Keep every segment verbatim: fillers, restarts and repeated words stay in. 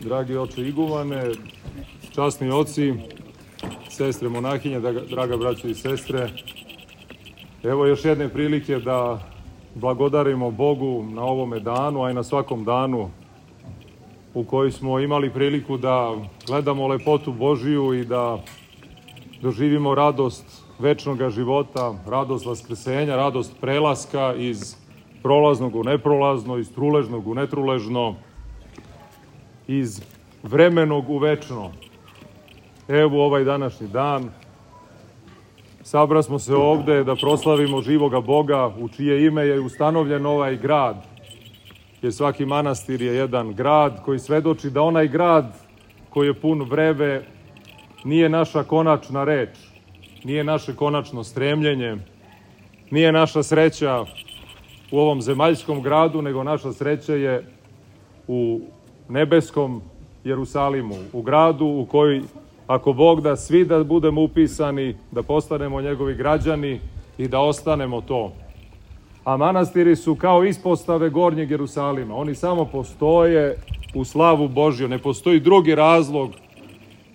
dragi oče igumane, časni oci, sestre monahinje, draga braćo i sestre. Evo još jedne prilike da blagodarimo Bogu na ovome danu, a i na svakom danu u kojoj smo imali priliku da gledamo lepotu Božiju i da doživimo radost večnog života, radost vaskrsenja, radost prelaska iz prolaznog u neprolazno, iz truležnog u netruležno, iz vremenog u večno. Evo ovaj današnji dan, sabrasmo se ovde da proslavimo živoga Boga u čije ime je ustanovljen ovaj grad. Jer svaki manastir je jedan grad koji svedoči da onaj grad koji je pun vrebe nije naša konačna reč, nije naše konačno stremljenje, nije naša sreća u ovom zemaljskom gradu, nego naša sreća je u nebeskom Jerusalimu, u gradu u koji, ako Bog da, svi da budemo upisani, da postanemo njegovi građani i da ostanemo to. A manastiri su kao ispostave gornjeg Jerusalima. Oni samo postoje u slavu Božju. Ne postoji drugi razlog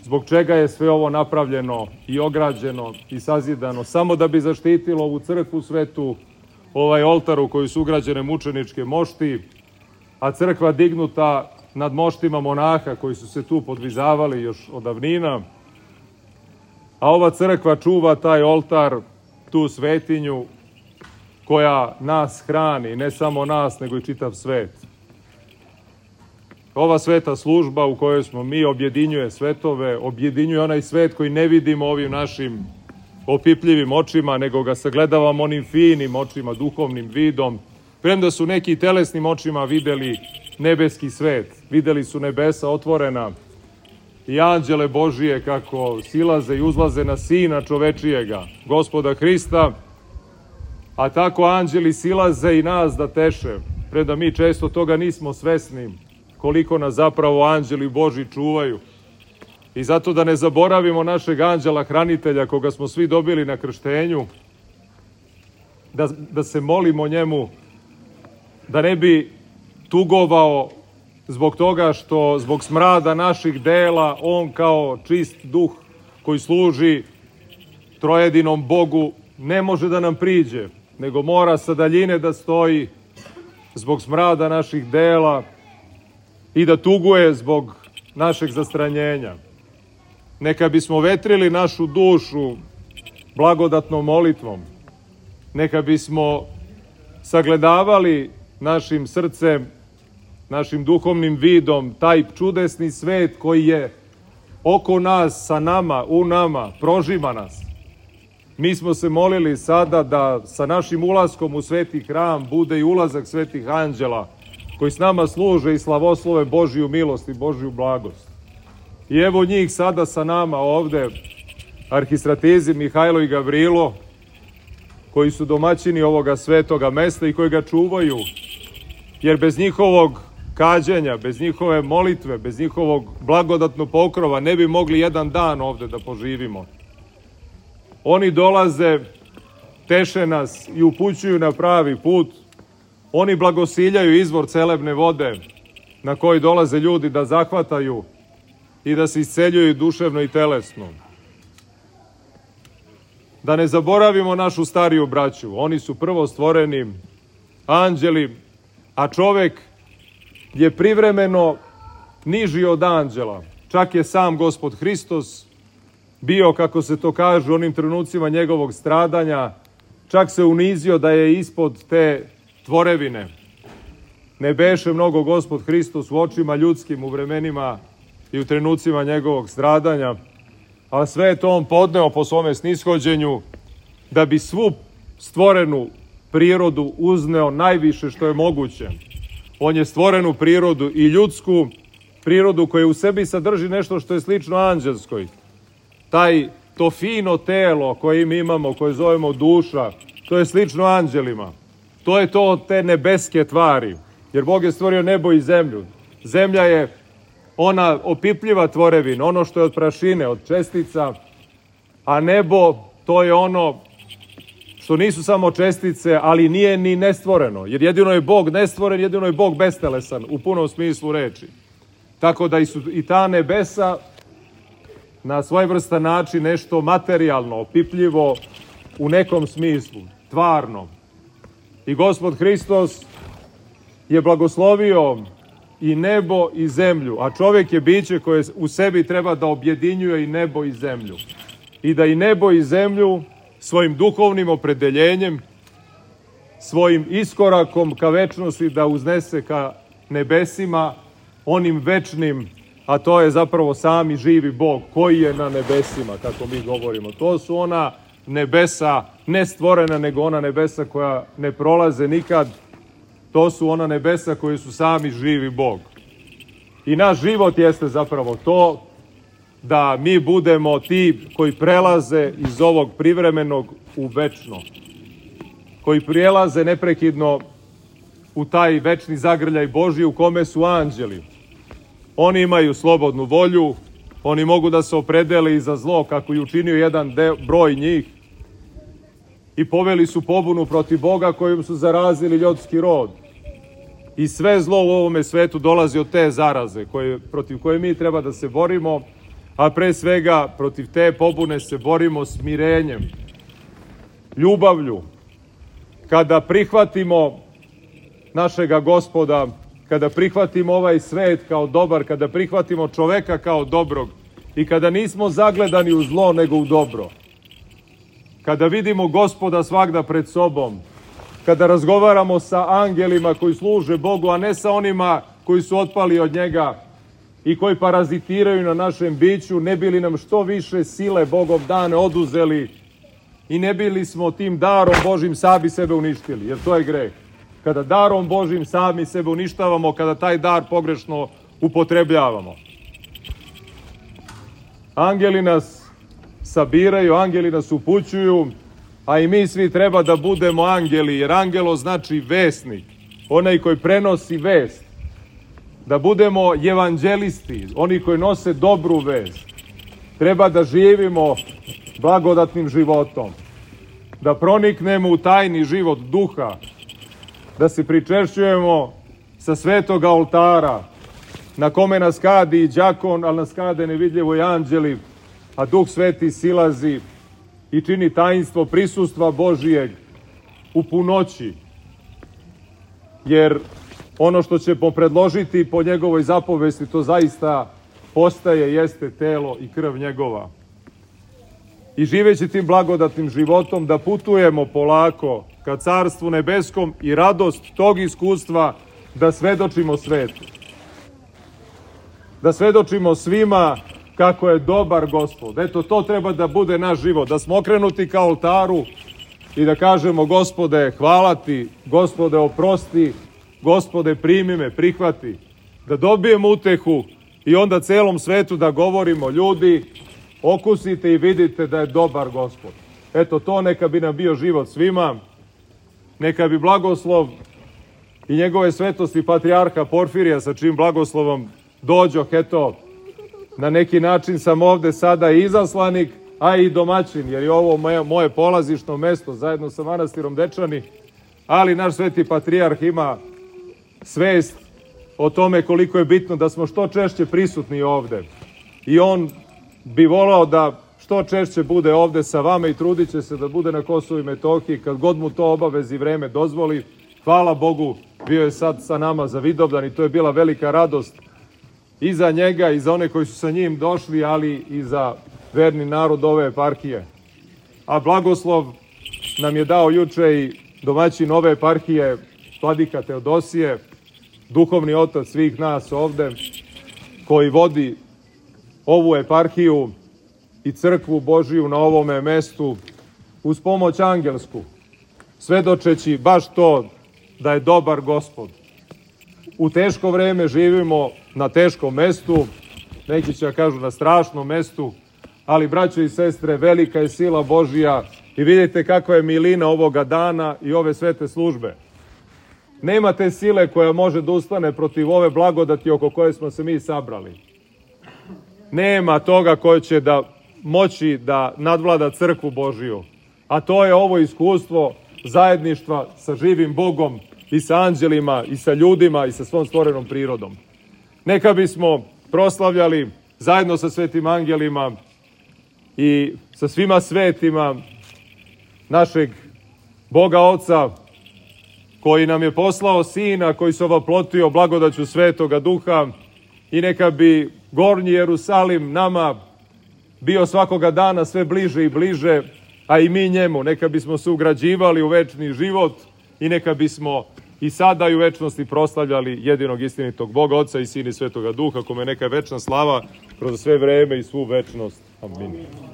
zbog čega je sve ovo napravljeno i ograđeno i sazidano, samo da bi zaštitilo ovu crkvu svetu, ovaj oltar u kojoj su ugrađene mučeničke mošti, a crkva dignuta nad moštima monaha koji su se tu podvizavali još od davnina, a ova crkva čuva taj oltar, tu svetinju koja nas hrani, ne samo nas, nego i čitav svet. Ova sveta služba u kojoj smo mi objedinjuje svetove, objedinjuje onaj svet koji ne vidimo ovim našim opipljivim očima, nego ga sagledavamo onim finim očima, duhovnim vidom. Premda su neki telesnim očima videli nebeski svet, videli su nebesa otvorena i anđele Božije kako silaze i uzlaze na Sina čovečijega, Gospoda Hrista, a tako anđeli silaze i nas da teše, premda mi često toga nismo svesni, koliko nas zapravo anđeli Božji čuvaju. I zato da ne zaboravimo našeg anđela hranitelja, koga smo svi dobili na krštenju, da, da se molimo njemu, da ne bi tugovao zbog toga što zbog smrada naših dela on kao čist duh koji služi trojedinom Bogu ne može da nam priđe, nego mora sa daljine da stoji zbog smrada naših dela i da tuguje zbog našeg zastranjenja. Neka bismo vetrili našu dušu blagodatnom molitvom, neka bismo sagledavali našim srcem, našim duhovnim vidom, taj čudesni svet koji je oko nas, sa nama, u nama, prožima nas. Mi smo se molili sada da sa našim ulaskom u sveti hram bude i ulazak svetih anđela, koji s nama služe i slavoslove Božju milost i Božju blagost. I evo njih sada sa nama ovde, arhistratezi Mihajlo i Gavrilo, koji su domaćini ovoga svetoga mesta i koji ga čuvaju, jer bez njihovog kađenja, bez njihove molitve, bez njihovog blagodatnog pokrova ne bi mogli jedan dan ovde da poživimo. Oni dolaze, teše nas i upućuju na pravi put. Oni blagosiljaju izvor celebne vode na koji dolaze ljudi da zahvataju i da se isceljuju duševno i telesno. Da ne zaboravimo našu stariju braću. Oni su prvo stvoreni anđeli, a čovek je privremeno niži od anđela. Čak je sam Gospod Hristos bio, kako se to kaže, u onim trenucima njegovog stradanja, čak se unizio da je ispod te tvorevine. Ne beše mnogo Gospod Hristos u očima ljudskim u vremenima i u trenucima njegovog stradanja, a sve je to on podneo po svome snishođenju da bi svu stvorenu prirodu uzneo najviše što je moguće. On je stvorenu prirodu i ljudsku prirodu koja u sebi sadrži nešto što je slično anđelskoj. Taj, to fino telo koje mi imamo, koje zovemo duša, to je slično anđelima. To je to te nebeske tvari, jer Bog je stvorio nebo i zemlju. Zemlja je ona opipljiva tvorevina, ono što je od prašine, od čestica, a nebo to je ono što nisu samo čestice, ali nije ni nestvoreno, jer jedino je Bog nestvoren, jedino je Bog bestelesan u punom smislu reči. Tako da i, su, i ta nebesa na svojevrstan način nešto materijalno, opipljivo u nekom smislu, tvarno. I Gospod Hristos je blagoslovio i nebo i zemlju, a čovjek je biće koje u sebi treba da objedinjuje i nebo i zemlju. I da i nebo i zemlju svojim duhovnim opredeljenjem, svojim iskorakom ka večnosti da uznese ka nebesima, onim večnim, a to je zapravo sami živi Bog koji je na nebesima, kako mi govorimo. To su ona nebesa, ne stvorena, nego ona nebesa koja ne prolaze nikad. To su ona nebesa koji su sami živi Bog. I naš život jeste zapravo to da mi budemo ti koji prelaze iz ovog privremenog u večno. Koji prijelaze neprekidno u taj večni zagrljaj Božji u kome su anđeli. Oni imaju slobodnu volju, oni mogu da se opredele i za zlo, kako je učinio jedan de, broj njih, i poveli su pobunu protiv Boga kojim su zarazili ljudski rod. I sve zlo u ovome svetu dolazi od te zaraze koje, protiv koje mi treba da se borimo, a pre svega protiv te pobune se borimo smirenjem, ljubavlju. Kada prihvatimo našega Gospoda, kada prihvatimo ovaj svet kao dobar, kada prihvatimo čoveka kao dobrog i kada nismo zagledani u zlo nego u dobro, kada vidimo Gospoda svagda pred sobom, kada razgovaramo sa angelima koji služe Bogu, a ne sa onima koji su otpali od njega i koji parazitiraju na našem biću, ne bili nam što više sile Bogov dane oduzeli i ne bili smo tim darom Božim sami sebe uništili, jer to je greh. Kada darom Božim sami sebe uništavamo, kada taj dar pogrešno upotrebljavamo. Angeli nas sabiraju, angeli nas upućuju, a i mi svi treba da budemo angeli, jer angelo znači vesnik, onaj koji prenosi vest. Da budemo evanđelisti, oni koji nose dobru vest. Treba da živimo blagodatnim životom, da proniknemo u tajni život duha, da se pričešćujemo sa svetog oltara, na kome nas kadi i đakon, ali nas kade nevidljivo i anđeli, a Duh Sveti silazi i čini tajnstvo prisustva Božijeg u punoći. Jer ono što ćemo predložiti po njegovoj zapovesti, to zaista postaje, jeste telo i krv njegova. I živeći tim blagodatnim životom da putujemo polako ka Carstvu nebeskom i radost tog iskustva da svedočimo svetu. Da svedočimo svima kako je dobar Gospod. Eto, to treba da bude naš život. Da smo okrenuti ka oltaru i da kažemo: Gospode, hvala ti, Gospode, oprosti, Gospode, primi me, prihvati. Da dobijemo utehu i onda celom svetu da govorimo: ljudi, okusite i vidite da je dobar Gospod. Eto, to neka bi nam bio život svima. Neka bi blagoslov i njegove svetosti patrijarha Porfirija, sa čim blagoslovom dođoh, eto, na neki način sam ovde sada izaslanik, a i domaćin, jer je ovo moje, moje polazišno mesto zajedno sa manastirom Dečani, ali naš sveti patrijarh ima svest o tome koliko je bitno da smo što češće prisutni ovde. I on bi volao da što češće bude ovde sa vama i trudit će se da bude na Kosovu i Metohiji kad god mu to obavezi vreme dozvoli. Hvala Bogu, bio je sad sa nama za Vidovdan i to je bila velika radost i za njega i za one koji su sa njim došli, ali i za verni narod ove eparhije. A blagoslov nam je dao juče i domaćin ove eparhije, vladika Teodosije, duhovni otac svih nas ovde, koji vodi ovu eparhiju i crkvu Božiju na ovome mestu uz pomoć angelsku, svedočeći baš to da je dobar Gospod. U teško vreme živimo na teškom mestu, neki će kažu na strašnom mestu, ali braćo i sestre, velika je sila Božija i vidite kakva je milina ovoga dana i ove svete službe. Nema te sile koja može da ustane protiv ove blagodati oko koje smo se mi sabrali. Nema toga koje će da moći da nadvlada crkvu Božiju, a to je ovo iskustvo zajedništva sa živim Bogom i sa anđelima i sa ljudima i sa svom stvorenom prirodom. Neka bismo proslavljali zajedno sa svetim angelima i sa svima svetima našeg Boga Oca, koji nam je poslao Sina, koji se ovaplotio blagodaću Svetoga Duha, i neka bi gornji Jerusalim nama bio svakoga dana sve bliže i bliže, a i mi njemu. Neka bismo se ugrađivali u večni život i neka bismo i sada i u večnosti proslavljali jedinog istinitog Boga Oca i Sina i Svetoga Duha, kome neka je večna slava kroz sve vreme i svu večnost. Amin.